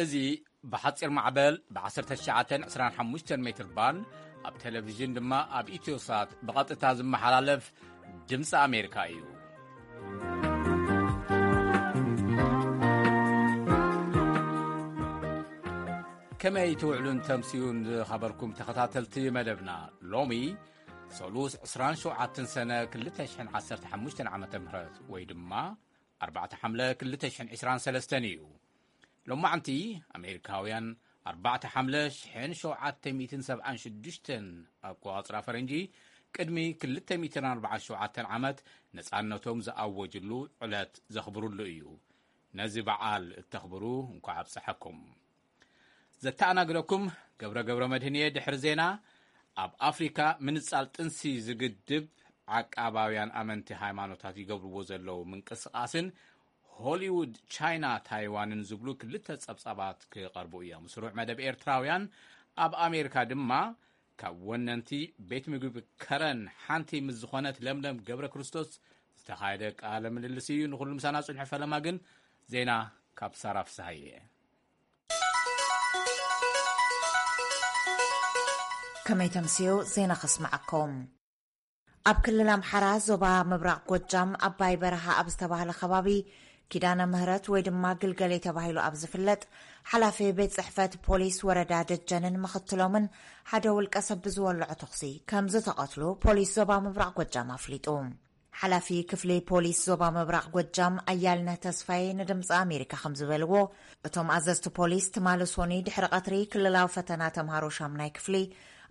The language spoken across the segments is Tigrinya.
እዚ ብሓጺር ማዕበል ብ19 25 ሜትር ባንድ፣ ኣብ ቴሌቪዥን ድማ ኣብ ኢትዮሳት ብቐጥታ ዝመሓላለፍ ድምፂ ኣሜሪካ እዩ። ከመይ ትውዕሉን ተምስዩን ዝኸበርኩም ተኸታተልቲ መደብና? ሎሚ ሰሉስ 27 ሰነ 2015 ዓመተ ምህረት ወይ ድማ 4 ሓምለ 2023 እዩ። ሎማዓንቲ ኣሜሪካውያን 4 ሓምለ 1776 ኣቆጻጽራ ፈረንጂ፣ ቅድሚ 247 ዓመት ነጻነቶም ዝኣወጅሉ ዕለት ዘኽብሩሉ እዩ። ነዚ በዓል እተኽብሩ እንኳዕ ኣብጸሐኩም። ዘተኣናግደኩም ገብረ ገብረ መድህን እየ። ድሕሪ ዜና፣ ኣብ ኣፍሪካ ምንጻል ጥንሲ ዝግድብ ዓቃባውያን ኣመንቲ ሃይማኖታት ይገብርዎ ዘለዉ ምንቅስቃስን ሆሊውድ ቻይና ታይዋንን ዝብሉ ክልተ ጸብጻባት ክቐርቡ እዮም። ስሩዕ መደብ ኤርትራውያን ኣብ ኣሜሪካ ድማ ካብ ወነንቲ ቤት ምግቢ ከረን ሓንቲ ምስ ዝኾነት ለምለም ገብረ ክርስቶስ ዝተኻየደ ቃለ ምልልስ እዩ። ንኹሉ ምሳና ጽንሑ። ፈለማ ግን ዜና ካብ ሳራ ፍስሃየ። ከመይ ተምስዩ? ዜና ከስምዓኩም። ኣብ ክልል ኣምሓራ ዞባ ምብራቕ ጎጃም ኣባይ በረሃ ኣብ ዝተባህለ ከባቢ ኪዳነ ምህረት ወይ ድማ ግልገሌ ተባሂሉ ኣብ ዝፍለጥ ሓላፊ ቤት ጽሕፈት ፖሊስ ወረዳ ደጀንን ምኽትሎምን ሓደ ውልቀ ሰብ ብዝወልዖ ተኹሲ ከም ዝተቐትሉ ፖሊስ ዞባ ምብራቕ ጎጃም ኣፍሊጡ። ሓላፊ ክፍሊ ፖሊስ ዞባ ምብራቕ ጎጃም ኣያልነህ ተስፋዬ ንድምፂ ኣሜሪካ ከም ዝበልዎ፣ እቶም ኣዘዝቲ ፖሊስ ትማሊ ሶኒ ድሕሪ ቀትሪ ክልላዊ ፈተና ተምሃሮ ሻምናይ ክፍሊ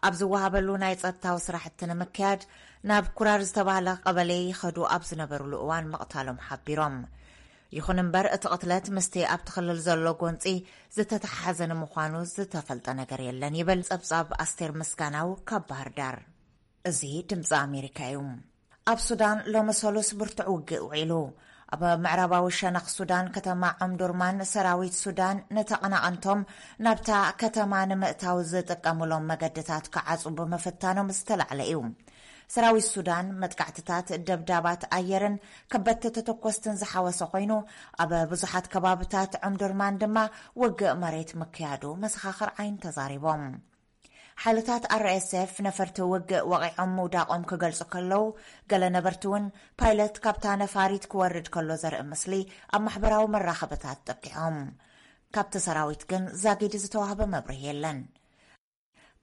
ኣብ ዝወሃበሉ ናይ ጸጥታዊ ስራሕቲ ንምክያድ ናብ ኩራር ዝተባህለ ቀበሌ ይኸዱ ኣብ ዝነበሩሉ እዋን ምቕታሎም ሓቢሮም። ይኹን እምበር እቲ ቅትለት ምስቲ ኣብቲ ክልል ዘሎ ጎንፂ ዝተተሓሓዘ ንምዃኑ ዝተፈልጠ ነገር የለን ይብል ጸብጻብ ኣስቴር ምስጋናው ካብ ባህር ዳር። እዚ ድምፂ ኣሜሪካ እዩ። ኣብ ሱዳን ሎሚ ሰሉስ ብርቱዕ ውግእ ውዒሉ። ኣብ ምዕራባዊ ሸነኽ ሱዳን ከተማ ዑምዱርማን ሰራዊት ሱዳን ንተቐናቐንቶም ናብታ ከተማ ንምእታው ዝጥቀሙሎም መገድታት ክዓጹ ብምፍታኖም ዝተላዕለ እዩ። ሰራዊት ሱዳን መጥቃዕትታት፣ ደብዳባት ኣየርን ከበድቲ ተተኮስትን ዝሓወሰ ኮይኑ፣ ኣብ ብዙሓት ከባብታት ዑምዱርማን ድማ ውግእ መሬት ምክያዱ መሰኻኽር ዓይኒ ተዛሪቦም። ሓይልታት ኣር ኤስ ኤፍ ነፈርቲ ውግእ ወቒዖም ምውዳቖም ክገልጹ ከለዉ፣ ገለ ነበርቲ እውን ፓይለት ካብታ ነፋሪት ክወርድ ከሎ ዘርኢ ምስሊ ኣብ ማሕበራዊ መራኸብታት ጠቂዖም። ካብቲ ሰራዊት ግን ዛጊድ ዝተዋህበ መብርሂ የለን።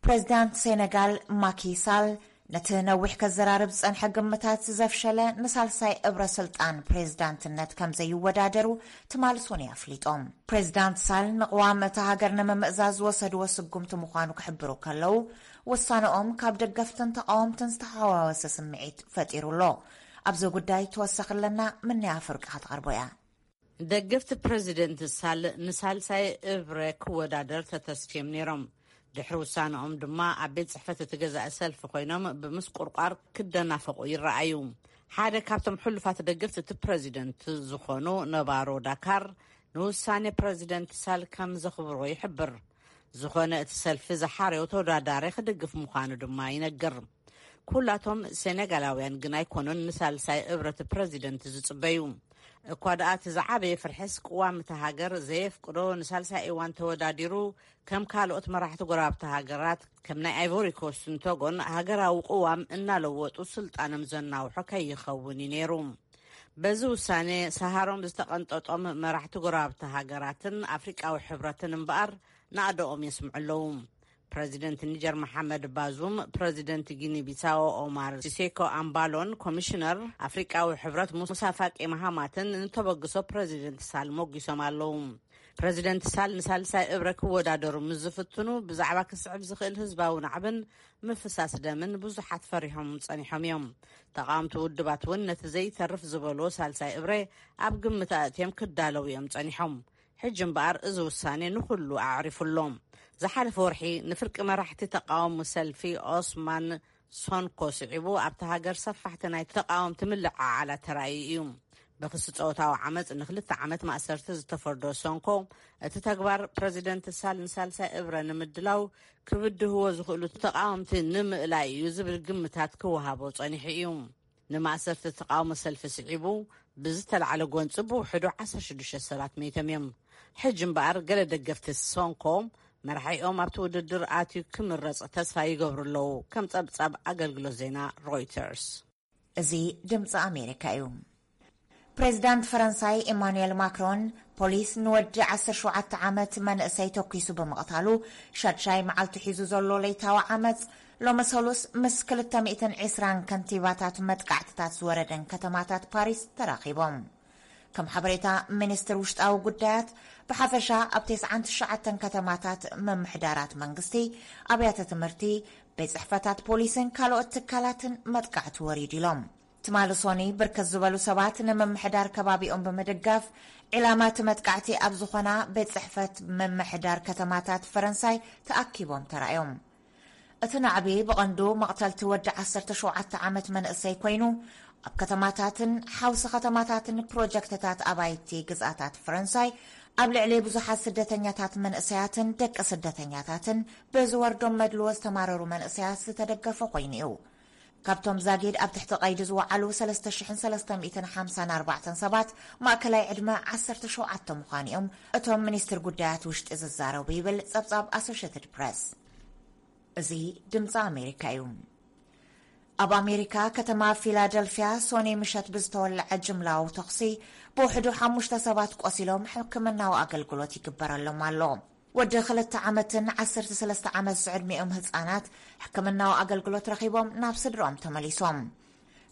ፕሬዚዳንት ሴነጋል ማኪ ሳል ነቲ ነዊሕ ከዘራርብ ዝጸንሐ ግምታት ዘፍሸለ ንሳልሳይ እብረ ስልጣን ፕሬዚዳንትነት ከም ዘይወዳደሩ ትማሊ ሶኒ ኣፍሊጦም። ፕሬዚዳንት ሳል ንቅዋም እታ ሃገር ንምምእዛዝ ዝወሰድዎ ስጉምቲ ምዃኑ ክሕብሩ ከለዉ፣ ውሳነኦም ካብ ደገፍትን ተቃወምትን ዝተሓዋወሰ ስምዒት ፈጢሩ ኣሎ። ኣብዚ ጉዳይ ተወሳኺ ኣለና፣ ምንያ ፍርቂ ክትቐርቦ እያ። ደገፍቲ ፕረዚደንት ሳል ንሳልሳይ እብረ ክወዳደር ተተስፍዮም ነይሮም። ድሕሪ ውሳነኦም ድማ ኣብ ቤት ጽሕፈት እቲ ገዛኢ ሰልፊ ኮይኖም ብምስቁርቋር ክደናፈቑ ይረኣዩ። ሓደ ካብቶም ሕሉፋት ደገፍቲ እቲ ፕረዚደንት ዝኾኑ ነባሮ ዳካር ንውሳኔ ፕረዚደንት ሳል ከም ዘኽብሮ ይሕብር። ዝኾነ እቲ ሰልፊ ዝሓረዮ ተወዳዳሪ ክድግፍ ምዃኑ ድማ ይነግር። ኩላቶም ሴኔጋላውያን ግን ኣይኮኑን ንሳልሳይ እብረት ፕረዚደንት ዝጽበዩ። እኳ ደኣ እቲ ዝዓበየ ፍርሕስ ቅዋም እታ ሃገር ዘየፍቅዶ ንሳልሳይ እዋን ተወዳዲሩ ከም ካልኦት መራሕቲ ጎረባብቲ ሃገራት ከም ናይ ኣይቮሪ ኮስትን ቶጎን ሃገራዊ ቅዋም እናለወጡ ስልጣኖም ዘናውሖ ከይኸውን እዩ ነይሩ። በዚ ውሳኔ ሰሃሮም ዝተቐንጠጦም መራሕቲ ጎረባብቲ ሃገራትን ኣፍሪቃዊ ሕብረትን እምበኣር ናእደኦም የስምዑ ኣለዉ። ፕረዚደንት ኒጀር መሓመድ ባዙም፣ ፕረዚደንት ጊኒ ቢሳዎ ኦማር ሲሴኮ ኣምባሎን ኮሚሽነር ኣፍሪቃዊ ሕብረት ሙሳ ፋቂ መሃማትን ንተበግሶ ፕረዚደንት ሳል ሞጊሶም ኣለዉ። ፕረዚደንት ሳል ንሳልሳይ እብረ ክወዳደሩ ምስ ዝፍትኑ ብዛዕባ ክስዕብ ዝኽእል ህዝባዊ ናዕብን ምፍሳስ ደምን ብዙሓት ፈሪሖም ጸኒሖም እዮም። ተቓወምቲ ውድባት እውን ነቲ ዘይተርፍ ዝበልዎ ሳልሳይ እብረ ኣብ ግምት ኣእትዮም ክዳለዉ እዮም ጸኒሖም። ሕጂ እምበኣር እዚ ውሳኔ ንኹሉ ኣዕሪፉ ኣሎ። ዝሓለፈ ወርሒ ንፍርቂ መራሕቲ ተቓውሞ ሰልፊ ኦስማን ሶንኮ ስዒቡ ኣብቲ ሃገር ሰፋሕቲ ናይ ተቓወምቲ ምልዕዓላት ተራእዩ እዩ። ብክሲ ጾታዊ ዓመጽ ንክልተ ዓመት ማእሰርቲ ዝተፈርዶ ሶንኮ፣ እቲ ተግባር ፕረዚደንት ሳል ንሳልሳይ እብረ ንምድላው ክብድህዎ ዝኽእሉ ተቓወምቲ ንምእላይ እዩ ዝብል ግምታት ክወሃቦ ጸኒሑ እዩ። ንማእሰርቲ ተቓውሞ ሰልፊ ስዒቡ ብዝተላዕለ ጎንጺ ብውሕዱ ዓሰርተ ሽዱሽተ ሰባት መይቶም እዮም። ሕጂ እምበኣር ገለ ደገፍቲ ሶንኮ መራሒኦም ኣብቲ ውድድር ኣትዩ ክምረጽ ተስፋ ይገብሩ ኣለዉ፣ ከም ጸብጻብ ኣገልግሎት ዜና ሮይተርስ። እዚ ድምፂ ኣሜሪካ እዩ። ፕሬዚዳንት ፈረንሳይ ኢማኑኤል ማክሮን ፖሊስ ንወዲ ዓሰርተ ሸውዓተ ዓመት መንእሰይ ተኲሱ ብምቕታሉ ሻድሻይ መዓልቱ ሒዙ ዘሎ ለይታዊ ዓመፅ ሎሚ ሰሉስ ምስ ክልተ ሚእትን ዕስራን ከንቲባታት መጥቃዕትታት ዝወረደን ከተማታት ፓሪስ ተራኺቦም። ከም ሓበሬታ ሚኒስትር ውሽጣዊ ጉዳያት፣ ብሓፈሻ ኣብ ተስዓን ትሽዓተን ከተማታት ምምሕዳራት መንግስቲ፣ ኣብያተ ትምህርቲ፣ ቤት ጽሕፈታት ፖሊስን ካልኦት ትካላትን መጥቃዕቲ ወሪዱ ኢሎም። ትማሊ ሶኒ ብርክት ዝበሉ ሰባት ንምምሕዳር ከባቢኦም ብምድጋፍ ዒላማ እቲ መጥቃዕቲ ኣብ ዝኾና ቤት ጽሕፈት ምምሕዳር ከተማታት ፈረንሳይ ተኣኪቦም ተራእዮም። እቲ ናዕቢ ብቐንዱ መቕተልቲ ወዲ ዓሰርተ ሸውዓተ ዓመት መንእሰይ ኮይኑ፣ ኣብ ከተማታትን ሓውሲ ከተማታትን ፕሮጀክትታት ኣባይቲ ግዝኣታት ፈረንሳይ፣ ኣብ ልዕሊ ብዙሓት ስደተኛታት መንእሰያትን ደቂ ስደተኛታትን ብዝወርዶም መድልዎ ዝተማረሩ መንእሰያት ዝተደገፈ ኮይኑ እዩ። ካብቶም ዛጊድ ኣብ ትሕቲ ቀይዲ ዝወዓሉ ሰለስተ ሽሕን ሰለስተ ሚእትን ሓምሳን ኣርባዕተን ሰባት ማእከላይ ዕድመ ዓሰርተ ሸውዓተ ምዃኑ እዮም እቶም ሚኒስትር ጉዳያት ውሽጢ ዝዛረቡ ይብል ጸብጻብ ኣሶሽየትድ ፕረስ። እዚ ድምፂ ኣሜሪካ እዩ። ኣብ ኣሜሪካ ከተማ ፊላደልፊያ ሶኒ ምሸት ብዝተወለዐ ጅምላዊ ተኹሲ ብውሕዱ ሓሙሽተ ሰባት ቆሲሎም ሕክምናዊ ኣገልግሎት ይግበረሎም ኣሎ። ወዲ ክልተ ዓመትን ዓሰርተ ሰለስተ ዓመት ዝዕድሚኦም ህፃናት ሕክምናዊ ኣገልግሎት ረኺቦም ናብ ስድርኦም ተመሊሶም።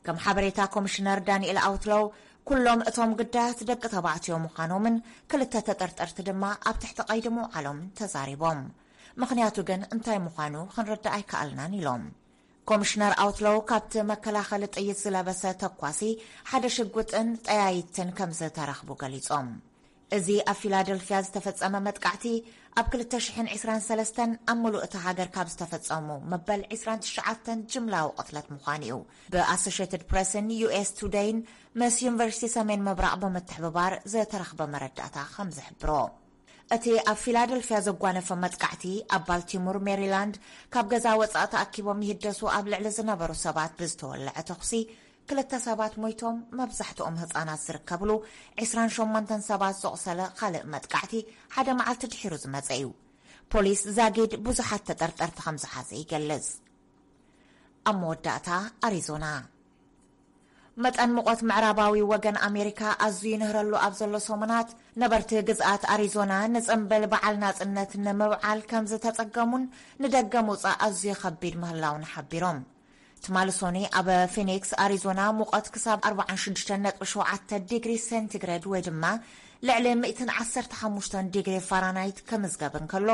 ከም ሓበሬታ ኮሚሽነር ዳንኤል ኣውትሎው፣ ኩሎም እቶም ግዳያት ደቂ ተባዕትዮ ምዃኖምን ክልተ ተጠርጠርቲ ድማ ኣብ ትሕቲ ቀይዲ ምውዓሎም ተዛሪቦም። ምኽንያቱ ግን እንታይ ምዃኑ ክንርዳእ ኣይከኣልናን ኢሎም። ኮሚሽነር ኣውትሎው ካብቲ መከላኸሊ ጥይት ዝለበሰ ተኳሲ ሓደ ሽጉጥን ጠያይትን ከም ዝተረኽቡ ገሊጾም። እዚ ኣብ ፊላደልፊያ ዝተፈጸመ መጥቃዕቲ ኣብ ክልተ ሽሕን ዕስራን ሰለስተን ኣብ ምሉእ እታ ሃገር ካብ ዝተፈጸሙ መበል ዕስራን ትሽዓተን ጅምላዊ ቅትለት ምዃኑ እዩ ብኣሶሽየትድ ፕረስን ዩ ኤስ ቱደይን ምስ ዩኒቨርሲቲ ሰሜን ምብራቕ ብምትሕብባር ዝተረኽበ መረዳእታ ከም ዝሕብሮ። እቲ ኣብ ፊላደልፊያ ዘጓነፈ መጥቃዕቲ ኣብ ባልቲሞር ሜሪላንድ ካብ ገዛ ወጻኢ ተኣኪቦም ይህደሱ ኣብ ልዕሊ ዝነበሩ ሰባት ብዝተወለዐ ተኹሲ ክልተ ሰባት ሞይቶም፣ መብዛሕትኦም ህጻናት ዝርከብሉ ዕስራን ሸሞንተን ሰባት ዘቑሰለ ካልእ መጥቃዕቲ ሓደ መዓልቲ ድሒሩ ዝመጸ እዩ። ፖሊስ ዛጊድ ብዙሓት ተጠርጠርቲ ከም ዝሓዘ ይገልጽ። ኣብ መወዳእታ ኣሪዞና። መጠን ሙቐት ምዕራባዊ ወገን ኣሜሪካ ኣዝዩ ይንህረሉ ኣብ ዘሎ ሰሙናት፣ ነበርቲ ግዝኣት ኣሪዞና ንጽምብል በዓል ናጽነት ንምብዓል ከም ዝተጸገሙን ንደገ ምውጻእ ኣዝዩ ከቢድ ምህላውን ሓቢሮም። ትማሊ ሶኒ ኣብ ፊኒክስ ኣሪዞና ሙቐት ክሳብ ኣርባዓን ሽዱሽተን ነጥቢ ሸውዓተ ዲግሪ ሴንቲግሬድ ወይ ድማ ልዕሊ ሚእትን ዓሰርተ ሓሙሽተን ዲግሪ ፋራናይት ክምዝገብ እንከሎ፣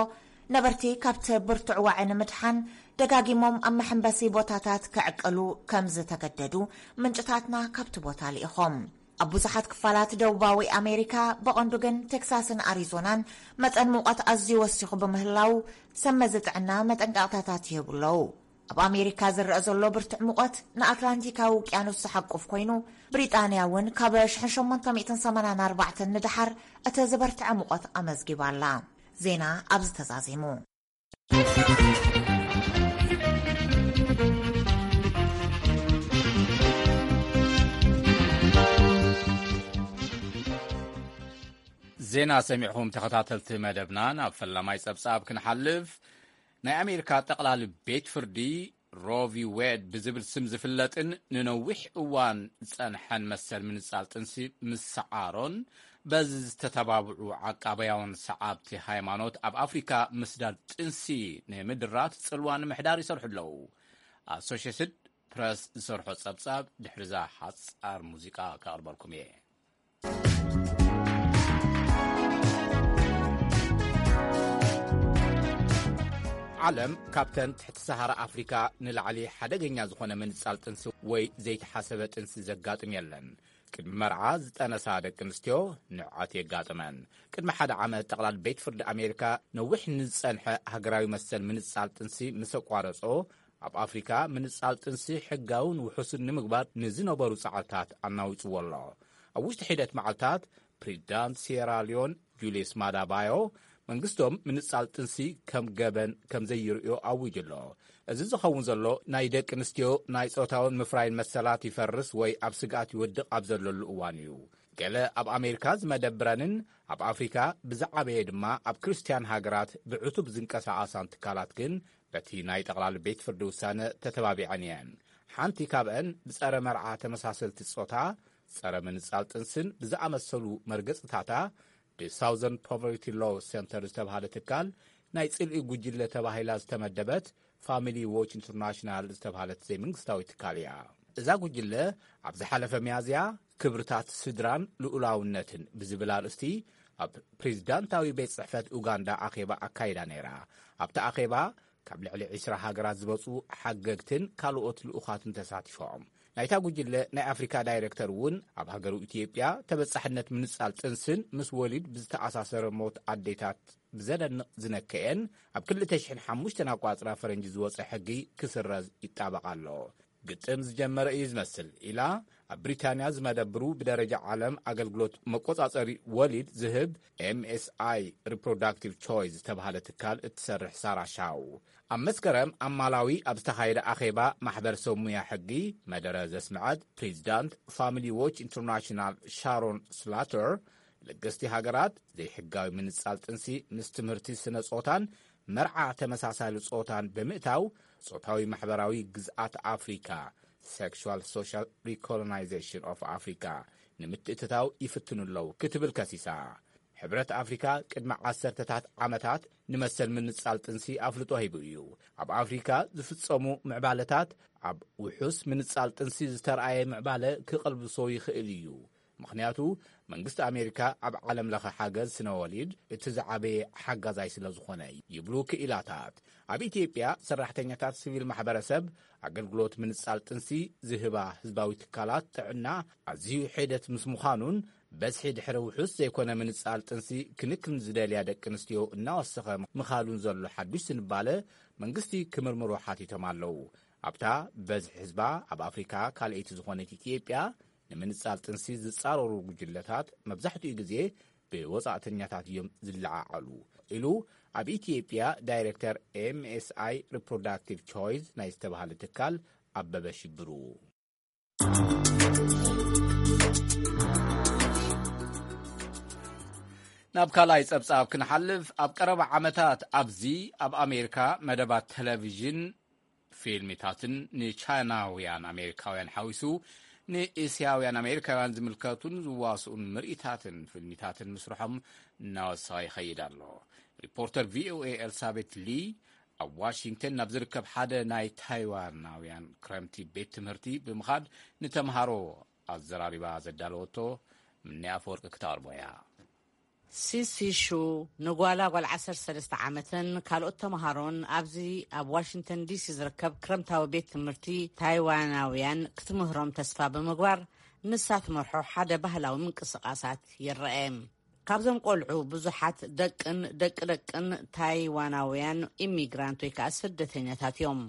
ነበርቲ ካብቲ ብርቱዕ ዋዒ ንምድሓን ደጋጊሞም ኣብ መሐንበሲ ቦታታት ክዕቅሉ ከም ዝተገደዱ ምንጭታትና ካብቲ ቦታ ልኢኾም። ኣብ ብዙሓት ክፋላት ደቡባዊ ኣሜሪካ፣ ብቐንዱ ግን ቴክሳስን ኣሪዞናን መጠን ሙቐት ኣዝዩ ወሲኹ ብምህላው፣ ሰብ መዚ ጥዕና መጠንቀቕታታት ይህቡ ኣለዉ። ኣብ ኣሜሪካ ዝረአ ዘሎ ብርቱዕ ሙቐት ንኣትላንቲካዊ ውቅያኖስ ዝሓቁፍ ኮይኑ፣ ብሪጣንያ እውን ካብ ሽሕን ሸሞንተ ሚእትን ሰማንያን ኣርባዕተን ንደሓር እቲ ዝበርትዐ ሙቐት ኣመዝጊባ ኣላ። ዜና ኣብዚ ተዛዚሙ። ዜና ሰሚዕኹም ተኸታተልቲ መደብና፣ ናብ ፈላማይ ጸብጻብ ክንሓልፍ። ናይ ኣሜሪካ ጠቕላሊ ቤት ፍርዲ ሮ ቪ ዌድ ብዝብል ስም ዝፍለጥን ንነዊሕ እዋን ዝጸንሐን መሰል ምንጻል ጥንሲ ምስዓሮን በዚ ዝተተባብዑ ዓቃባያውን ሰዓብቲ ሃይማኖት ኣብ ኣፍሪካ ምስዳድ ጥንሲ ንምድራት ጽልዋ ንምሕዳር ይሰርሑ ኣለዉ። ኣሶሽየትድ ፕረስ ዝሰርሖ ጸብጻብ ድሕሪዛ ሓጻር ሙዚቃ ከቕርበልኩም እየ። ዓለም ካብተን ትሕቲ ሰሃራ ኣፍሪካ ንላዕሊ ሓደገኛ ዝኾነ ምንጻል ጥንሲ ወይ ዘይተሓሰበ ጥንሲ ዘጋጥም የለን። ቅድሚ መርዓ ዝጠነሳ ደቂ ኣንስትዮ ንዕቀት የጋጥመን። ቅድሚ ሓደ ዓመት ጠቕላል ቤት ፍርዲ ኣሜሪካ ነዊሕ ንዝጸንሐ ሃገራዊ መሰል ምንጻል ጥንሲ ምስ ኣቋረጾ፣ ኣብ ኣፍሪካ ምንጻል ጥንሲ ሕጋውን ውሑስን ንምግባር ንዝነበሩ ጻዕርታት ኣናዊጽዎ ኣሎ። ኣብ ውሽጢ ሒደት መዓልታት ፕሬዚዳንት ሲየራ ሊዮን ጁልየስ ማዳ ባዮ መንግስቶም ምንጻል ጥንሲ ከም ገበን ከም ዘይርእዮ ኣዊጁ ኣሎ። እዚ ዝኸውን ዘሎ ናይ ደቂ ኣንስትዮ ናይ ጾታውን ምፍራይን መሰላት ይፈርስ ወይ ኣብ ስግኣት ይወድቕ ኣብ ዘለሉ እዋን እዩ። ገለ ኣብ ኣሜሪካ ዝመደብረንን ኣብ ኣፍሪካ ብዝዓበየ ድማ ኣብ ክርስትያን ሃገራት ብዕቱብ ዝንቀሳቐሳን ትካላት ግን በቲ ናይ ጠቕላሊ ቤት ፍርዲ ውሳነ ተተባቢዐን እየን። ሓንቲ ካብአን ብጸረ መርዓ ተመሳሰልቲ ጾታ፣ ጸረ ምንጻል ጥንስን ብዝኣመሰሉ መርገጽታታ ብሳውዘርን ፖቨርቲ ሎ ሴንተር ዝተባሃለ ትካል ናይ ጽልኢ ጉጅለ ተባሂላ ዝተመደበት ፋሚሊ ዎች ኢንተርናሽናል ዝተባሃለት ዘይመንግስታዊ ትካል እያ። እዛ ጉጅለ ኣብ ዝሓለፈ ሚያዝያ ክብርታት ስድራን ልኡላውነትን ብዝብል ኣርእስቲ ኣብ ፕሬዚዳንታዊ ቤት ጽሕፈት ኡጋንዳ ኣኼባ ኣካይዳ ነይራ። ኣብቲ ኣኼባ ካብ ልዕሊ ዕስራ ሃገራት ዝመጹ ሓገግትን ካልኦት ልኡኻትን ተሳቲፎም። ናይታ ጉጅለ ናይ ኣፍሪካ ዳይሬክተር እውን ኣብ ሃገሩ ኢትዮጵያ ተበጻሕነት ምንጻል ጥንስን ምስ ወሊድ ብዝተኣሳሰረ ሞት ኣዴታት ብዘደንቕ ዝነከየን ኣብ ክልተ ሽሕን ሓሙሽተን ኣቋጽራ ፈረንጂ ዝወጸ ሕጊ ክስረዝ ይጣበቕ ኣሎ። ግጥም ዝጀመረ እዩ ዝመስል ኢላ ኣብ ብሪታንያ ዝመደብሩ ብደረጃ ዓለም ኣገልግሎት መቆጻጸሪ ወሊድ ዝህብ ኤምኤስኣይ ሪፕሮዳክቲቭ ቾይስ ዝተባሃለ ትካል እትሰርሕ ሳራ ሻው ኣብ መስከረም ኣብ ማላዊ ኣብ ዝተኻየደ ኣኼባ ማሕበረሰብ ሙያ ሕጊ መደረ ዘስምዐት ፕሬዚዳንት ፋሚሊ ዎች ኢንተርናሽናል ሻሮን ስላተር፣ ለገስቲ ሃገራት ዘይሕጋዊ ምንጻል ጥንሲ ምስ ትምህርቲ ስነ ጾታን መርዓ ተመሳሳሊ ጾታን ብምእታው ጾታዊ ማሕበራዊ ግዝኣት ኣፍሪካ፣ Sexual Social Recolonization of Africa፣ ንምትእትታው ይፍትኑ ኣለዉ ክትብል ከሲሳ። ሕብረት ኣፍሪካ ቅድሚ ዓሰርተታት ዓመታት ንመሰል ምንጻል ጥንሲ ኣፍልጦ ሂቡ እዩ። ኣብ ኣፍሪካ ዝፍጸሙ ምዕባለታት ኣብ ውሑስ ምንጻል ጥንሲ ዝተርኣየ ምዕባለ ክቐልብሶ ይኽእል እዩ። ምኽንያቱ መንግስቲ ኣሜሪካ ኣብ ዓለም ለኸ ሓገዝ ስነ ወሊድ እቲ ዝዓበየ ሓጋዛይ ስለ ዝኾነ ይብሉ ክኢላታት። ኣብ ኢትዮጵያ ሰራሕተኛታት ሲቪል ማሕበረሰብ ኣገልግሎት ምንጻል ጥንሲ ዝህባ ህዝባዊ ትካላት ጥዕና ኣዝዩ ሒደት ምስ ምዃኑን በዝሒ ድሕሪ ውሑስ ዘይኮነ ምንጻል ጥንሲ ክንክን ዝደልያ ደቂ ኣንስትዮ እናወሰኸ ምኻዱን ዘሎ ሓዱሽ ዝንባለ መንግስቲ ክምርምሮ ሓቲቶም ኣለዉ። ኣብታ በዝሒ ህዝባ ኣብ ኣፍሪካ ካልኣይቲ ዝኾነት ኢትዮጵያ ንምንጻል ጥንሲ ዝጻረሩ ጉጅለታት መብዛሕትኡ ግዜ ብወጻእተኛታት እዮም ዝለዓዓሉ ኢሉ ኣብ ኢትዮጵያ ዳይሬክተር ኤምኤስኣይ ሪፕሮዳክቲቭ ቾይስ ናይ ዝተባሃለ ትካል ኣበበ ሽብሩ። ናብ ካልኣይ ጸብጻብ ክንሓልፍ፣ ኣብ ቀረባ ዓመታት ኣብዚ ኣብ ኣሜሪካ መደባት ቴሌቪዥን ፊልሚታትን ንቻይናውያን ኣሜሪካውያን ሓዊሱ ንእስያውያን ኣሜሪካውያን ዝምልከቱን ዝዋስኡን ምርኢታትን ፊልሚታትን ምስርሖም እናወሰኸ ይኸይድ ኣሎ። ሪፖርተር ቪኦኤ ኤልሳቤት ሊ ኣብ ዋሽንግተን ናብ ዝርከብ ሓደ ናይ ታይዋናውያን ክረምቲ ቤት ትምህርቲ ብምኻድ ንተምሃሮ ኣዘራሪባ ዘዳለወቶ ምኒ ኣፈወርቂ ክተቕርቦ እያ። ሲሲ ሹ ንጓላ ጓል ዓሰርተ ሰለስተ ዓመትን ካልኦት ተምሃሮን ኣብዚ ኣብ ዋሽንግተን ዲሲ ዝርከብ ክረምታዊ ቤት ትምህርቲ ታይዋናውያን ክትምህሮም ተስፋ ብምግባር ንሳ ትመርሖ ሓደ ባህላዊ ምንቅስቓሳት ይረአ። ካብዞም ቆልዑ ብዙሓት ደቅን ደቂ ደቅን ታይዋናውያን ኢሚግራንት ወይ ከዓ ስደተኛታት እዮም።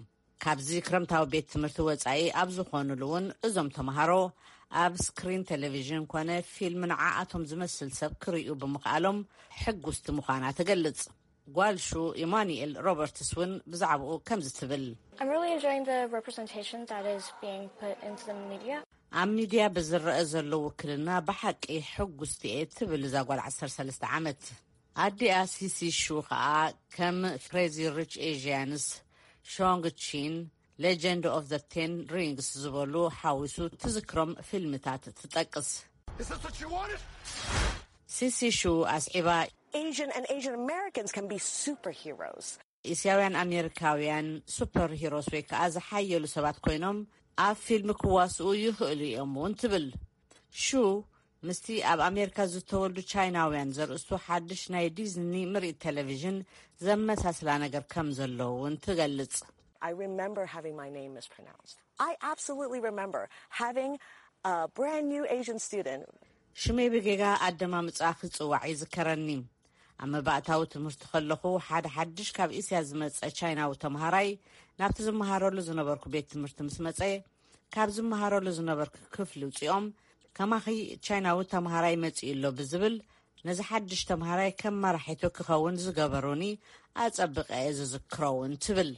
ካብዚ ክረምታዊ ቤት ትምህርቲ ወጻኢ ኣብ ዝኾኑሉ እውን እዞም ተምሃሮ ኣብ ስክሪን ቴሌቪዥን ኮነ ፊልም ንዓኣቶም ዝመስል ሰብ ክርእዩ ብምኽኣሎም ሕጉስቲ ምዃና ትገልጽ። ጓል ሹ ኢማኑኤል ሮበርትስ እውን ብዛዕባኡ ከምዚ ትብል። I'm really enjoying the representation that is being put into the media. ኣብ ሚድያ ብዝረአ ዘሎ ውክልና ብሓቂ ሕጉስቲ እየ ትብል እዛ ጓል ዓሰርተ ሰለስተ ዓመት። ኣዲኣ ሲሲ ሹ ኸኣ ከም ክሬዚ ሪች ኤዥያንስ፣ ሾንግ ቺን፣ ሌጀንድ ኦፍ ዘ ቴን ሪንግስ ዝበሉ ሓዊሱ ትዝክሮም ፊልምታት ትጠቅስ። ሲሲ ሹ ኣስዒባ፣ Asian and Asian Americans can be superheroes. እስያውያን ኣሜሪካውያን ሱፐር ሂሮስ ወይ ከዓ ዝሓየሉ ሰባት ኮይኖም ኣብ ፊልም ክዋስኡ ይኽእሉ እዮም እውን ትብል። ሹ ምስቲ ኣብ ኣሜሪካ ዝተወልዱ ቻይናውያን ዘርእስቱ ሓድሽ ናይ ዲዝኒ ምርኢት ቴሌቪዥን ዘመሳስላ ነገር ከም ዘሎ እውን ትገልጽ። I remember having my name mispronounced. I absolutely remember having a brand new Asian student. ሽመይ ብጌጋ ኣደማምጻ ክጽዋዕ ይዝከረኒ። ኣብ መባእታዊ ትምህርቲ ከለኹ ሓደ ሓድሽ ካብ እስያ ዝመጸ ቻይናዊ ተምሃራይ ናብቲ ዝመሃረሉ ዝነበርኩ ቤት ትምህርቲ ምስ መጸ ካብ ዝመሃረሉ ዝነበርኩ ክፍሊ ውጺኦም ከማኺ ቻይናዊ ተምሃራይ መጺኡ ኣሎ ብዝብል ነዚ ሓድሽ ተምሃራይ ከም መራሒቱ ክኸውን ዝገበሩኒ ኣጸብቐ እየ ዝዝክሮ እውን ትብል።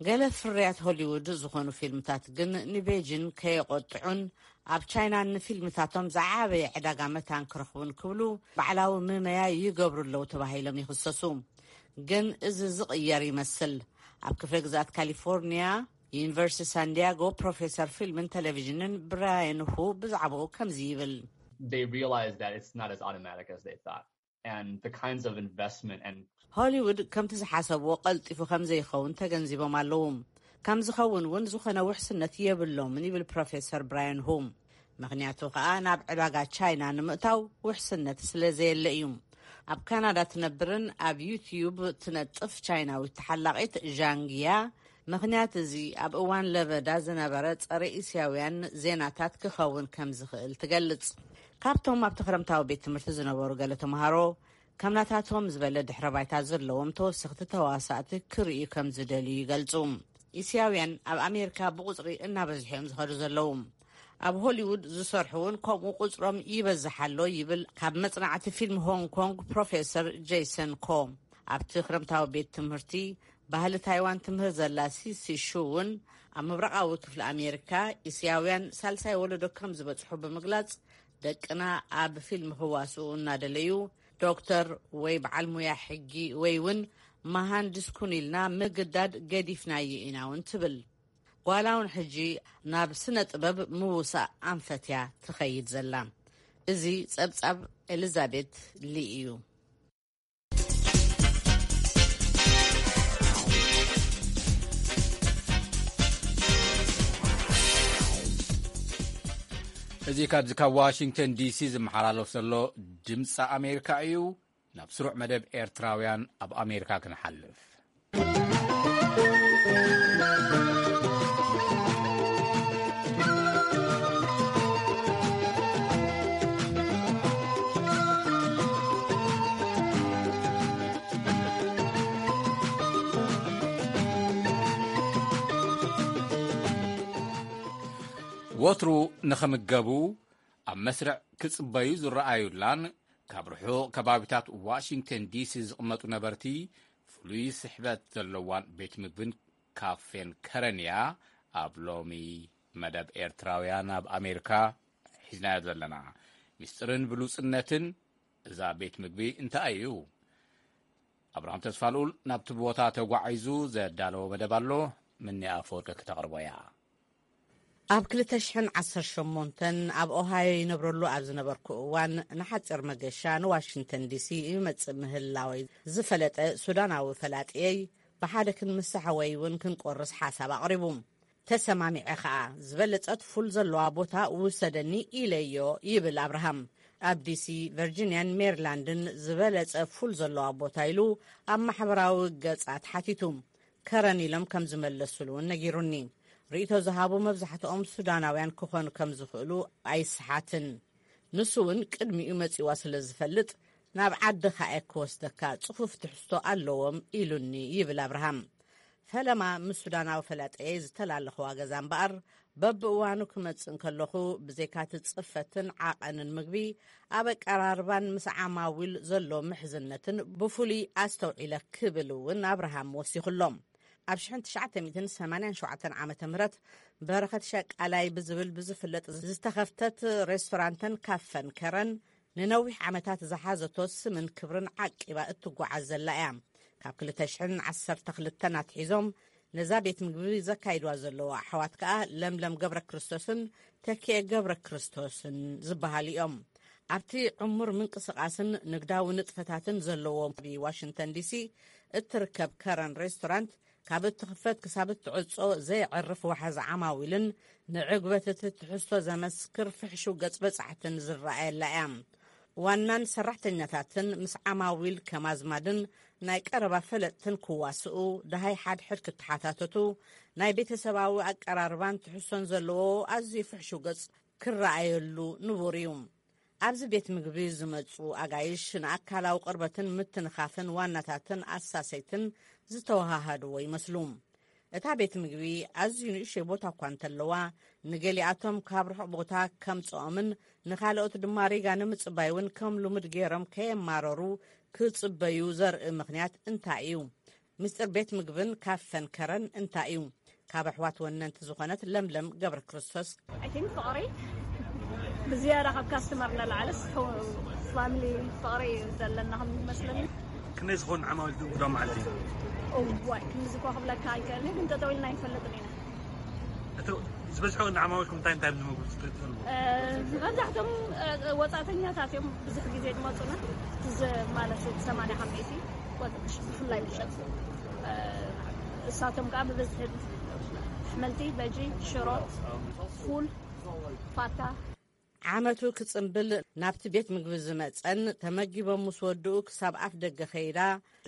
ገለ ፍርያት ሆሊውድ ዝኾኑ ፊልምታት ግን ንቤጂን ከየቖጥዑን ኣብ ቻይና ንፊልምታቶም ዝዓበየ ዕዳጋ መታን ክረኽቡን ክብሉ ባዕላዊ ምመያይ ይገብሩ ኣለዉ ተባሂሎም ይኽሰሱ። ግን እዚ ዝቕየር ይመስል። ኣብ ክፍለ ግዝኣት ካሊፎርኒያ ዩኒቨርሲቲ ሳንዲያጎ ፕሮፌሰር ፊልምን ቴሌቪዥንን ብራያን ሁ ብዛዕባኡ ከምዚ ይብል። They realize that it's not as automatic as they thought. And the kinds of investment and ሆሊውድ ከምቲ ዝሓሰብዎ ቀልጢፉ ከም ዘይኸውን ተገንዚቦም ኣለዉ። ከም ዝኸውን እውን ዝኾነ ውሕስነት የብሎምን ይብል ፕሮፌሰር ብራያን ሁ። ምኽንያቱ ከኣ ናብ ዕዳጋ ቻይና ንምእታው ውሕስነት ስለ ዘየለ እዩ። ኣብ ካናዳ ትነብርን ኣብ ዩትዩብ ትነጥፍ ቻይናዊት ተሓላቒት ዣንግያ ምኽንያት እዚ ኣብ እዋን ለበዳ ዝነበረ ጸረ እስያውያን ዜናታት ክኸውን ከም ዝኽእል ትገልጽ። ካብቶም ኣብቲ ክረምታዊ ቤት ትምህርቲ ዝነበሩ ገለ ተምሃሮ ከም ናታቶም ዝበለ ድሕረ ባይታ ዘለዎም ተወሰኽቲ ተዋሳእቲ ክርእዩ ከም ዝደልዩ ይገልጹ። እስያውያን ኣብ ኣሜሪካ ብቑጽሪ እናበዝሑ እዮም ዝኸዱ ዘለዉ። ኣብ ሆሊውድ ዝሰርሑ እውን ከምኡ ቁጽሮም ይበዝሕ ኣሎ ይብል ካብ መጽናዕቲ ፊልም ሆንግ ኮንግ ፕሮፌሰር ጄሰን ኮ። ኣብቲ ክረምታዊ ቤት ትምህርቲ ባህሊ ታይዋን ትምህር ዘላ ሲሲ ሹ እውን ኣብ ምብራቓዊ ክፍሊ ኣሜሪካ እስያውያን ሳልሳይ ወለዶ ከም ዝበጽሑ ብምግላጽ ደቅና ኣብ ፊልም ክዋስኡ እናደለዩ ዶክተር ወይ በዓል ሙያ ሕጊ ወይ እውን መሃንድስ ኩን ኢልና ምግዳድ ገዲፍናዮ ኢና እውን ትብል። ጓላ እውን ሕጂ ናብ ስነ ጥበብ ምውሳእ ኣንፈትያ ትኸይድ ዘላ። እዚ ጸብጻብ ኤሊዛቤት ሊ እዩ። እዚ ካብዚ ካብ ዋሽንግተን ዲሲ ዝመሓላለፍ ዘሎ ድምፂ ኣሜሪካ እዩ። ናብ ስሩዕ መደብ ኤርትራውያን ኣብ ኣሜሪካ ክንሓልፍ። ወትሩ ንኽምገቡ ኣብ መስርዕ ክጽበዩ ዝረኣዩላን ካብ ርሑቕ ከባቢታት ዋሽንግተን ዲሲ ዝቕመጡ ነበርቲ ፍሉይ ስሕበት ዘለዋን ቤት ምግብን ካፌን ከረን እያ። ኣብ ሎሚ መደብ ኤርትራውያን ኣብ ኣሜሪካ ሒዝናዮ ዘለና ምስጢርን ብሉጽነትን እዛ ቤት ምግቢ እንታይ እዩ? ኣብርሃም ተስፋልኡል ናብቲ ቦታ ተጓዒዙ ዘዳለዎ መደብ ኣሎ። ምኒ ኣፈወርቂ ክተቕርቦ እያ። ኣብ ክልተ ሽሕን ዓሰርተ ሸሞንተን ኣብ ኦሃዮ ይነብረሉ ኣብ ዝነበርኩ እዋን ንሓጺር መገሻ ንዋሽንግተን ዲሲ ይመጽእ ምህላወይ ዝፈለጠ ሱዳናዊ ፈላጥየይ ብሓደ ክንምሳሕ ወይ እውን ክንቆርስ ሓሳብ ኣቕሪቡ። ተሰማሚዐ ኸኣ ዝበለጸት ፉል ዘለዋ ቦታ ውሰደኒ ኢለዮ ይብል ኣብርሃም። ኣብ ዲሲ፣ ቨርጂንያን ሜሪላንድን ዝበለጸ ፉል ዘለዋ ቦታ ኢሉ ኣብ ማሕበራዊ ገጻት ሓቲቱ። ከረን ኢሎም ከም ዝመለሱሉ እውን ነጊሩኒ። ርእይቶ ዝሃቡ መብዛሕትኦም ሱዳናውያን ክኾኑ ከም ዝኽእሉ ኣይስሓትን። ንሱ እውን ቅድሚኡ መጺዋ ስለ ዝፈልጥ ናብ ዓድኻ እየ ክወስደካ፣ ጽፉፍ ትሕዝቶ ኣለዎም ኢሉኒ ይብል ኣብርሃም። ፈለማ ምስ ሱዳናዊ ፈላጠየይ ዝተላለኽዋ ገዛ እምበኣር በብእዋኑ ክመጽእ እንከለኹ ብዘይካቲ ጽፈትን ዓቐንን ምግቢ ኣብ ኣቀራርባን ምስ ዓማዊል ዘሎ ምሕዝነትን ብፍሉይ ኣስተውዒለ ክብል እውን ኣብርሃም ወሲኹሎም። ኣብ ሽሕን ትሽዓተ ሚእትን ሰማንያን ሸውዓተን ዓመተ ምህረት በረኸት ሸቃላይ ብዝብል ብዝፍለጥ ዝተኸፍተት ሬስቶራንተን ካፈን ከረን ንነዊሕ ዓመታት ዝሓዘቶ ስምን ክብርን ዓቂባ እትጓዓዝ ዘላ እያ። ካብ ክልተ ሽሕን ዓሰርተ ክልተን ኣትሒዞም ነዛ ቤት ምግቢ ዘካይድዋ ዘለዉ ኣሕዋት ከኣ ለምለም ገብረ ክርስቶስን ተኪኤ ገብረ ክርስቶስን ዝበሃሉ እዮም። ኣብቲ ዕሙር ምንቅስቓስን ንግዳዊ ንጥፈታትን ዘለዎ ኣብ ዋሽንግተን ዲሲ እትርከብ ከረን ሬስቶራንት ካብ እትኽፈት ክሳብ እትዕጾ ዘየዕርፍ ዋሕዚ ዓማዊልን ንዕግበት እቲ ትሕዝቶ ዘመስክር ፍሕሹው ገጽ በጻሕትን ዝረኣየላ እያ። ዋናን ሰራሕተኛታትን ምስ ዓማዊል ከም ኣዝማድን ናይ ቀረባ ፈለጥትን ክዋስኡ፣ ደሃይ ሓድሕድ ክተሓታተቱ፣ ናይ ቤተሰባዊ ኣቀራርባን ትሕዝቶን ዘለዎ ኣዝዩ ፍሕሹው ገጽ ክረኣየሉ ንቡር እዩ። ኣብዚ ቤት ምግቢ ዝመጹ ኣጋይሽ ንኣካላዊ ቅርበትን ምትንኻፍን ዋናታትን ኣሳሰይትን ዝተወሃሃድዎ ይመስሉ። እታ ቤት ምግቢ ኣዝዩ ንእሽቶይ ቦታ እኳ እንተለዋ፣ ንገሊኣቶም ካብ ርሑቕ ቦታ ከምጽኦምን ንኻልኦት ድማ ሪጋ ንምጽባይ እውን ከም ልሙድ ገይሮም ከየማረሩ ክጽበዩ ዘርኢ ምኽንያት እንታይ እዩ? ምስጢር ቤት ምግብን ካፈን ከረን እንታይ እዩ? ካብ ኣሕዋት ወነንቲ ዝኾነት ለምለም ገብረ ክርስቶስ። ፍቕሪ ብዝያዳ ካብ ካስተመር ንላዕልስ ፋሚሊ ፍቕሪ እዩ ዘለና ከም መስለኒ። ክንደይ ዝኾኑ ዓማዊል ትእንግዶ ማለት እዩ? እዋይ፣ ክንዚ እኮ ክብለካ ኣይክእልን፣ ግን ጠጠው ኢልና ኣይንፈልጥን ኢና። እቲ ዝበዝሑ ዓማዊልኩም እንታይ እንታይ ምግቢ ትፈልጡ? መብዛሕቶም ወፃእተኛታት እዮም ብዙሕ ግዜ ዝመፁና። እዚ ማለት ሰማንያ ካብ ሚእቲ ብፍላይ ምሸት፣ እሳቶም ከዓ ብብዝሒ ኣሕምልቲ፣ በጂ፣ ሽሮ፣ ፉል፣ ፋታ። ዓመቱ ክጽንብል ናብቲ ቤት ምግቢ ዝመጸን ተመጊቦም ምስ ወድኡ ክሳብ ኣፍ ደገ ከይዳ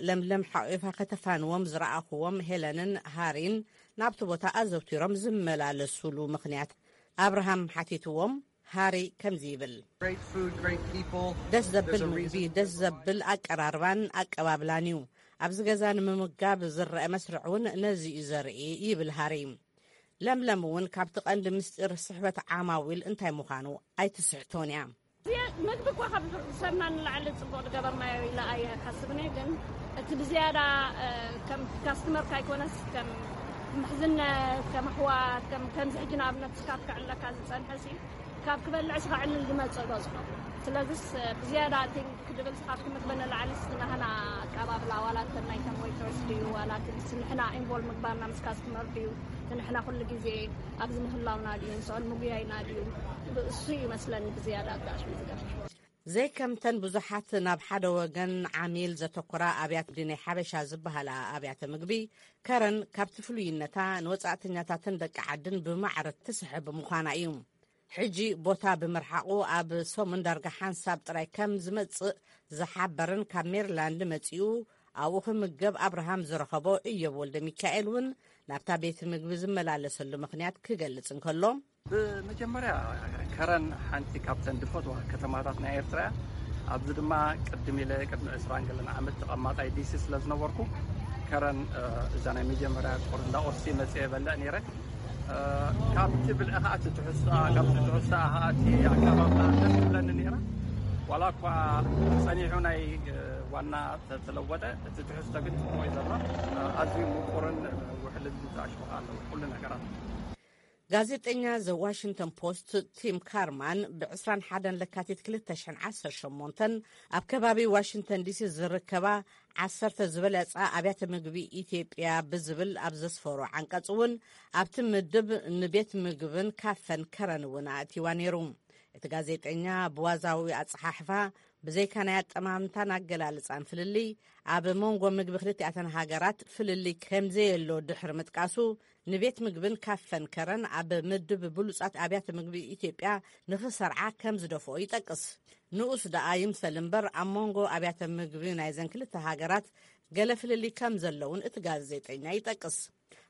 ለምለም ሓቂፋ ከተፋንዎም ዝረኣኹዎም ሄለንን ሃሪን ናብቲ ቦታ ኣዘውቲሮም ዝመላለሱሉ ምኽንያት ኣብርሃም ሓቲትዎም። ሃሪ ከምዚ ይብል። Great food, great people. ደስ ዘብል ምግቢ፣ ደስ ዘብል ኣቀራርባን ኣቀባብላን እዩ። ኣብዚ ገዛ ንምምጋብ ዝረአ መስርዕ እውን ነዚ እዩ ዘርኢ ይብል ሃሪ። ለምለም እውን ካብቲ ቀንዲ ምስጢር ስሕበት ዓማዊል እንታይ ምዃኑ ኣይትስሕቶን እያ። መግቢ እኳ ካብ ሰብና ንላዕሊ ፅቡቅ ዝገበርናዮ ኢለ ኣይሓስብን እየ። ግን እቲ ብዝያዳ ከም ካስተመር ካይኮነስ ከም ምሕዝነት፣ ከም ኣሕዋት፣ ከም ከምዚ ሕጂ ንኣብነት ስካብ ክዕለካ ዝፀንሐ ሲ ካብ ክበልዕ ስኻ ዕልል ዝመፅእ በዝሖ። ስለዚስ ብዝያዳ ቲንክ ክድብል ስኻብ ክምግበ ንላዕሊ ናህና ኣቀባብላ ዋላ እንተ ናይቶም ዌይተርስ ድዩ ዋላ ንሕና ኢንቮልቭ ምግባርና ምስ ካስተመር ድዩ ንሕና ኩሉ ግዜ ኣብዚ ምህላውና ድዩ ንስኦን ምጉያይና ድዩ እሱ ይመስለኒ ብዝያዳ ኣጋሽ ዝገርሽ። ዘይከምተን ብዙሓት ናብ ሓደ ወገን ዓሚል ዘተኮራ ኣብያት ድነይ ሓበሻ ዝበሃላ ኣብያተ ምግቢ ከረን ካብቲ ፍሉይነታ ንወጻእተኛታትን ደቂ ዓድን ብማዕረ ትስሕብ ምዃና እዩ። ሕጂ ቦታ ብምርሓቑ ኣብ ሰሙን ዳርጋ ሓንሳብ ጥራይ ከም ዝመጽእ ዝሓበርን ካብ ሜሪላንድ መጺኡ ኣብኡ ክምገብ ኣብርሃም ዝረኸቦ እዮብ ወልደ ሚካኤል እውን ናብታ ቤት ምግቢ ዝመላለሰሉ ምኽንያት ክገልጽ እንከሎ፣ ብመጀመርያ ከረን ሓንቲ ካብተን ድፈትዋ ከተማታት ናይ ኤርትራ እያ። ኣብዚ ድማ ቅድም ኢለ ቅድሚ ዕስራን ገለን ዓመት ተቐማጣይ ዲሲ ስለ ዝነበርኩ ከረን እዛ ናይ መጀመርያ ቁርንዳ ኦርሲ መፅየ በልዕ ነይረ። ካብቲ ብልዒ ከዓ እቲ ትሕዝቶኣ ካብቲ ትሕዝቶኣ ከዓ እቲ ኣቀባብላ ደስ ትብለኒ ነይራ። ዋላ እኳ ፀኒሑ ናይ ዋና ተለወጠ እቲ ትሕዝቶ ግን ፅቡቅ እዩ ዘሎ። ኣዝዩ ምቁርን ውሕልን ዝኣሽኹ ኣለዉ ኩሉ ነገራት። ጋዜጠኛ ዘ ዋሽንግተን ፖስት ቲም ካርማን ብ ዕስራን ሓደን ለካቲት ክልተ ሽሕን ዓሰርተ ሸሞንተን ኣብ ከባቢ ዋሽንግተን ዲሲ ዝርከባ ዓሰርተ ዝበለጻ ኣብያተ ምግቢ ኢትዮጵያ ብዝብል ኣብ ዘስፈሮ ዓንቀጽ እውን ኣብቲ ምድብ ንቤት ምግብን ካፈን ከረን እውን ኣእቲዋ ነይሩ። እቲ ጋዜጠኛ ብዋዛዊ ኣጸሓሕፋ ብዘይካ ናይ ኣጠማምታን ኣገላልጻን ፍልልይ ኣብ መንጎ ምግቢ ክልቲኣተን ሃገራት ፍልልይ ከምዘየሎ ድሕሪ ምጥቃሱ ንቤት ምግብን ካፈን ከረን ኣብ ምድብ ብሉጻት ኣብያተ ምግቢ ኢትዮጵያ ንኽሰርዓ ከም ዝደፍኦ ይጠቅስ። ንኡስ ደኣ ይምሰል እምበር ኣብ መንጎ ኣብያተ ምግቢ ናይዘን ክልተ ሃገራት ገለ ፍልልይ ከም ዘለውን እቲ ጋዜጠኛ ይጠቅስ።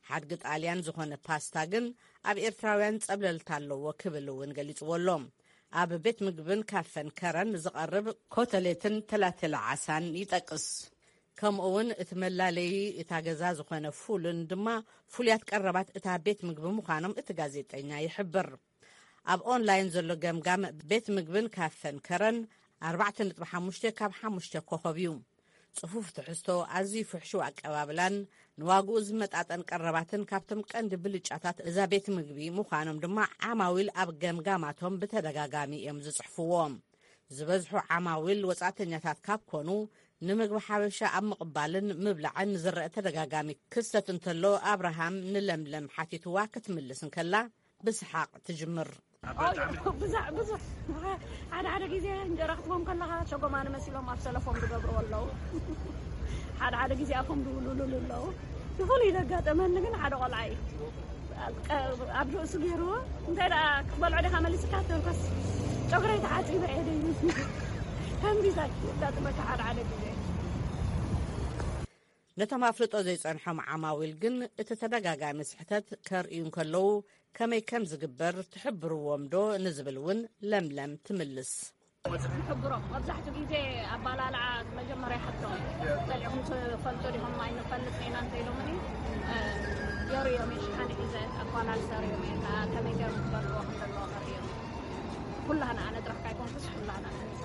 ሓድጊ ጣልያን ዝኾነ ፓስታ ግን ኣብ ኤርትራውያን ጸብለልታ ኣለዎ ክብል እውን ገሊጽዎ ኣሎ። ኣብ ቤት ምግብን ካፈን ከረን ዝቐርብ ኮተሌትን ተላተለ ዓሳን ይጠቅስ። ከምኡ እውን እቲ መላለዪ እታ ገዛ ዝኾነ ፉልን ድማ ፍሉያት ቀረባት እታ ቤት ምግቢ ምዃኖም እቲ ጋዜጠኛ ይሕብር። ኣብ ኦንላይን ዘሎ ገምጋም ቤት ምግብን ካፈን ከረን ኣርባዕተ ነጥቢ ሓሙሽተ ካብ ሓሙሽተ ኮኸብ እዩ። ጽፉፍ ትሕዝቶ፣ ኣዝዩ ፍሕሹው ኣቀባብላን ንዋግኡ ዝመጣጠን ቀረባትን ካብቶም ቀንዲ ብልጫታት እዛ ቤት ምግቢ ምዃኖም ድማ ዓማዊል ኣብ ገምጋማቶም ብተደጋጋሚ እዮም ዝጽሕፍዎ። ዝበዝሑ ዓማዊል ወጻእተኛታት ካብ ኮኑ ንምግቢ ሓበሻ ኣብ ምቕባልን ምብላዕን ዝረአ ተደጋጋሚ ክስተት እንተሎ ኣብርሃም ንለምለም ሓቲትዋ ክትምልስ እንከላ ብስሓቕ ትጅምር። ብዙሕ ብዙሕ ሓደ ሓደ ግዜ እንጀራ ክትቦም ከለኻ ሸጎማኒ መሲሎም ኣብ ሰለፎም ዝገብርዎ ኣለዉ። ሓደ ሓደ ግዜ ኣፎም ዝውልሉሉ ኣለዉ። ብፍሉይ ዘጋጠመኒ ግን ሓደ ቆልዓ እዩ። ኣብ ርእሱ ገይርዎ እንታይ ደኣ ክትበልዖ ዲኻ መሊስካ ተንኮስ ጨጉረይ ተሓፂበ እየ ደይመስኒ ከምዚ የጋጥመካ ሓደ ሓደ ግዜ። ነቶም ኣፍልጦ ዘይጸንሖም ዓማዊል ግን እቲ ተደጋጋሚ ስሕተት ከርእዩ እንከለዉ ከመይ ከም ዝግበር ትሕብርዎም ዶ ንዝብል እውን ለምለም ትምልስ። ንሕብሮም መብዛሕትኡ ግዜ ኣባላልዓ መጀመርያ ይሓቶም። ጸሊዕኹም ትፈልጡ ዲኹም? ኣይንፈልጥ ኢና እንተ ኢሎምኒ፣ የርእዮም እየ። ሽሓነ ሒዘ ኣባላልሰ ርእዮም እየ። ከመይ ገይሮም ክበልዕዎ ከም ዘለዎ ከርእዮም እየ። ኩላህና ኣነ ጥራሕ ካይኮንኩስ ኩላህና ንሕንሳ።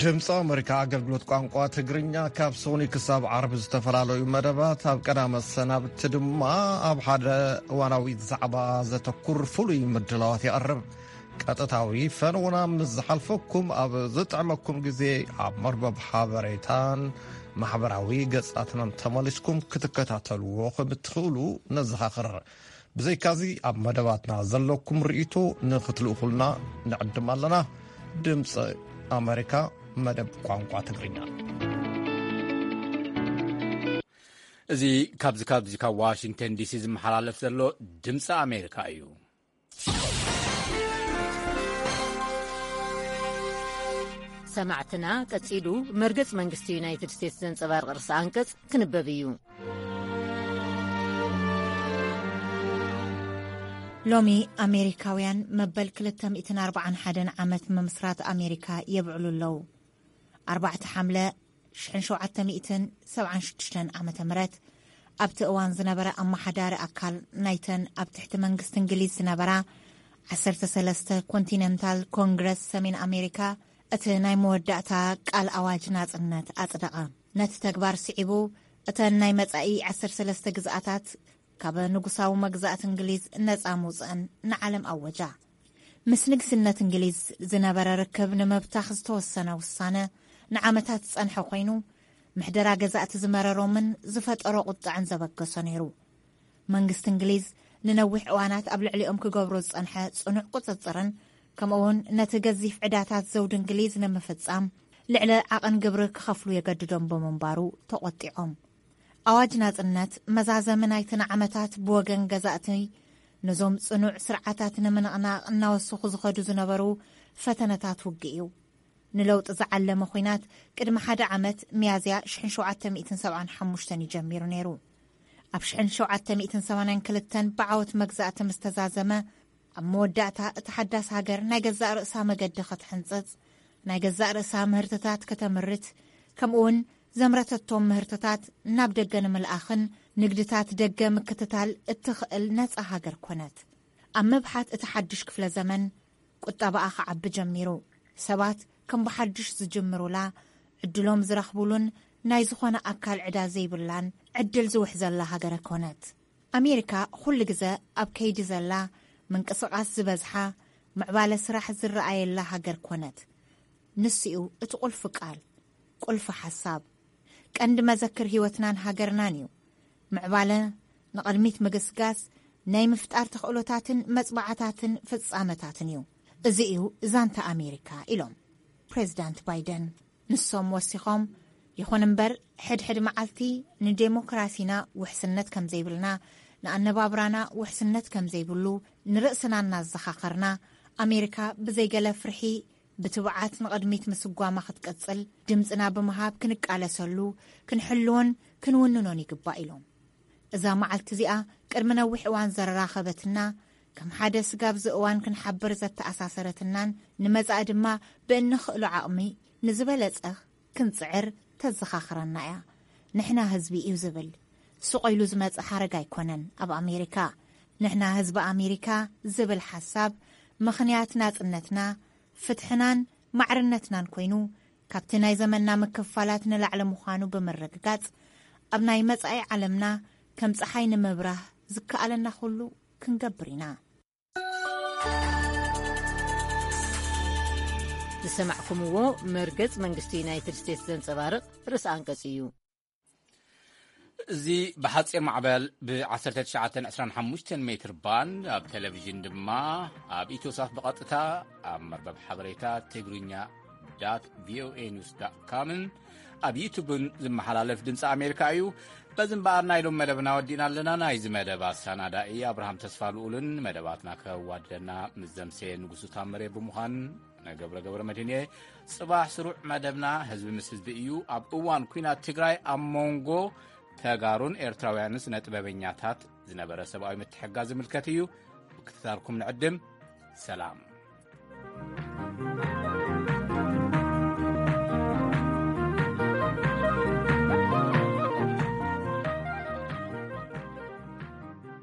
ድምፂ ኣመሪካ ኣገልግሎት ቋንቋ ትግርኛ ካብ ሶኒ ክሳብ ዓርቢ ዝተፈላለዩ መደባት፣ ኣብ ቀዳመ ሰናብቲ ድማ ኣብ ሓደ እዋናዊ ዛዕባ ዘተኩር ፍሉይ ምድላዋት የቕርብ። ቀጥታዊ ፈነውና ምስ ዝሓልፈኩም፣ ኣብ ዝጥዕመኩም ግዜ ኣብ መርበብ ሓበሬታን ማሕበራዊ ገጻትናን ተመሊስኩም ክትከታተልዎ ከም እትኽእሉ ነዘኻኽር። ብዘይካዚ፣ ኣብ መደባትና ዘለኩም ርእይቶ ንኽትልእኹልና ንዕድም ኣለና። ድምፂ ኣመሪካ፣ መደብ ቋንቋ ትግርኛ። እዚ ካብዚ ካብዚ ካብ ዋሽንግተን ዲሲ ዝመሓላለፍ ዘሎ ድምፂ ኣሜሪካ እዩ። ሰማዕትና፣ ቀጺሉ መርገጽ መንግስቲ ዩናይትድ ስቴትስ ዘንጸባርቕ ርእሰ ኣንቀጽ ክንበብ እዩ። ሎሚ ኣሜሪካውያን መበል ክልተ ሚእትን ኣርባዓን ሓደን ዓመት ምምስራት ኣሜሪካ የብዕሉ ኣለዉ። ኣርባዕተ ሓምለ ሽሕን ሸውዓተ ሚእትን ሰብዓን ሽዱሽተን ዓመተ ምህረት፣ ኣብቲ እዋን ዝነበረ ኣመሓዳሪ ኣካል ናይተን ኣብ ትሕቲ መንግስቲ እንግሊዝ ዝነበራ ዓሰርተ ሰለስተ ኮንቲነንታል ኮንግረስ ሰሜን ኣሜሪካ፣ እቲ ናይ መወዳእታ ቃል ኣዋጅ ናጽነት ኣጽደቐ። ነቲ ተግባር ስዒቡ፣ እተን ናይ መጻኢ ዓሰርተ ሰለስተ ግዝኣታት ካብ ንጉሳዊ መግዛእቲ እንግሊዝ ነጻ ምውጽእን ንዓለም ኣወጃ። ምስ ንግስነት እንግሊዝ ዝነበረ ርክብ ንምብታኽ ዝተወሰነ ውሳነ ንዓመታት ዝጸንሐ ኮይኑ፣ ምሕደራ ገዛእቲ ዝመረሮምን ዝፈጠሮ ቁጥዐን ዘበገሶ ነይሩ። መንግስቲ እንግሊዝ ንነዊሕ እዋናት ኣብ ልዕሊኦም ክገብሮ ዝጸንሐ ጽኑዕ ቁጽጽርን፣ ከምኡውን ነቲ ገዚፍ ዕዳታት ዘውዲ እንግሊዝ ንምፍጻም ልዕሊ ዓቐን ግብሪ ክኸፍሉ የገድዶም ብምንባሩ ተቖጢዖም። ኣዋጅ ናጽነት መዛዘሚ ናይቲ ንዓመታት ብወገን ገዛእቲ ነዞም ጽኑዕ ስርዓታት ንምንቕናቕ እናወሰኹ ዝኸዱ ዝነበሩ ፈተነታት ውግእ እዩ። ንለውጢ ዝዓለመ ኲናት ቅድሚ ሓደ ዓመት፣ ሚያዝያ ሽሕን ሸውዓተ ሚእትን ሰብዓን ሓሙሽተን እዩ ጀሚሩ ነይሩ። ኣብ ሽሕን ሸውዓተ ሚእትን ሰማንያን ክልተን ብዓወት መግዛእቲ ምስ ተዛዘመ፣ ኣብ መወዳእታ እታ ሓዳስ ሃገር ናይ ገዛእ ርእሳ መገዲ ክትሕንጽጽ፣ ናይ ገዛእ ርእሳ ምህርትታት ከተምርት፣ ከምኡውን ዘምረተቶም ምህርትታት ናብ ደገ ንምልኣኽን ንግድታት ደገ ምክትታል እትኽእል ነጻ ሃገር ኮነት። ኣብ ምብሓት እቲ ሓድሽ ክፍለ ዘመን፣ ቁጠባኣ ክዓቢ ጀሚሩ። ሰባት ከም ብሓድሽ ዝጅምሩላ፣ ዕድሎም ዝረኽቡሉን ናይ ዝኾነ ኣካል ዕዳ ዘይብላን ዕድል ዝውሕዘላ ሃገረ ኮነት። ኣሜሪካ ኩሉ ግዘ ኣብ ከይዲ ዘላ፣ ምንቅስቓስ ዝበዝሓ፣ ምዕባለ ስራሕ ዝረኣየላ ሃገር ኮነት። ንሱ እዩ እቲ ቁልፊ ቃል፣ ቁልፊ ሓሳብ። ቀንዲ መዘክር ህይወትናን ሃገርናን እዩ። ምዕባለ፣ ንቕድሚት ምግስጋስ፣ ናይ ምፍጣር ተኽእሎታትን መጽባዕታትን ፍጻመታትን እዩ። እዚ እዩ ዛንታ ኣሜሪካ፣ ኢሎም ፕሬዚዳንት ባይደን። ንሶም ወሲኾም፣ ይኹን እምበር፣ ሕድሕድ መዓልቲ ንዴሞክራሲና ውሕስነት ከም ዘይብልና፣ ንኣነባብራና ውሕስነት ከም ዘይብሉ ንርእስና እናዘኻኸርና፣ ኣሜሪካ ብዘይገለ ፍርሒ ብትብዓት ንቕድሚት ምስጓማ ክትቅጽል ድምጽና ብምሃብ ክንቃለሰሉ፣ ክንሕልዎን ክንውንኖን ይግባእ፣ ኢሎም። እዛ መዓልቲ እዚኣ ቅድሚ ነዊሕ እዋን ዘራኸበትና፣ ከም ሓደ ስጋብ እዚ እዋን ክንሓብር ዘተኣሳሰረትናን ንመጻኢ ድማ ብእንኽእሎ ዓቕሚ ንዝበለጸ ክንጽዕር ተዘኻኽረና እያ። ንሕና ህዝቢ እዩ ዝብል ስቕ ኢሉ ዝመጽእ ሓረግ ኣይኮነን። ኣብ ኣሜሪካ፣ ንሕና ህዝቢ ኣሜሪካ ዝብል ሓሳብ፣ ምኽንያት ናጽነትና፣ ፍትሕናን ማዕርነትናን ኮይኑ፣ ካብቲ ናይ ዘመንና ምክፍፋላት ንላዕሊ ምዃኑ ብምርግጋጽ፣ ኣብ ናይ መጻኢ ዓለምና ከም ጸሓይ ንምብራህ ዝከኣለና ኩሉ ክንገብር ኢና። ዝሰማዕኩምዎ መርገጽ መንግስቲ ዩናይትድ ስቴትስ ዘንጸባርቕ ርእሰ ኣንቀጽ እዩ። እዚ ብሓጺር ማዕበል ብ ዓሰርተ ትሽዓተ ዕስራን ሓሙሽተን ሜትር ባንድ፣ ኣብ ቴሌቪዥን ድማ ኣብ ኢትዮሳት ብቐጥታ፣ ኣብ መርበብ ሓበሬታ ትግርኛ ዳት ቪኦኤ ኒውስ ዳት ካምን ኣብ ዩቱብን ዝመሓላለፍ ድምፂ ኣሜሪካ እዩ። በዚ እምበኣር ናይ ሎም መደብና ወዲእና ኣለና። ናይዚ መደብ ኣሰናዳኢ ኣብርሃም ተስፋ ልኡልን መደባትና ከዋድደና ምስ ዘምሰየ ንጉሱ ታምሬ ብምዃን፣ ነገብረ ገብረ መድህን እየ። ጽባሕ ስሩዕ መደብና ህዝቢ ምስ ህዝቢ እዩ። ኣብ እዋን ኲናት ትግራይ ኣብ መንጎ ተጋሩን ኤርትራውያንን ስነ ጥበበኛታት ዝነበረ ሰብኣዊ ምትሕግጋዝ ዝምልከት እዩ። ምክትታልኩም ንዕድም። ሰላም።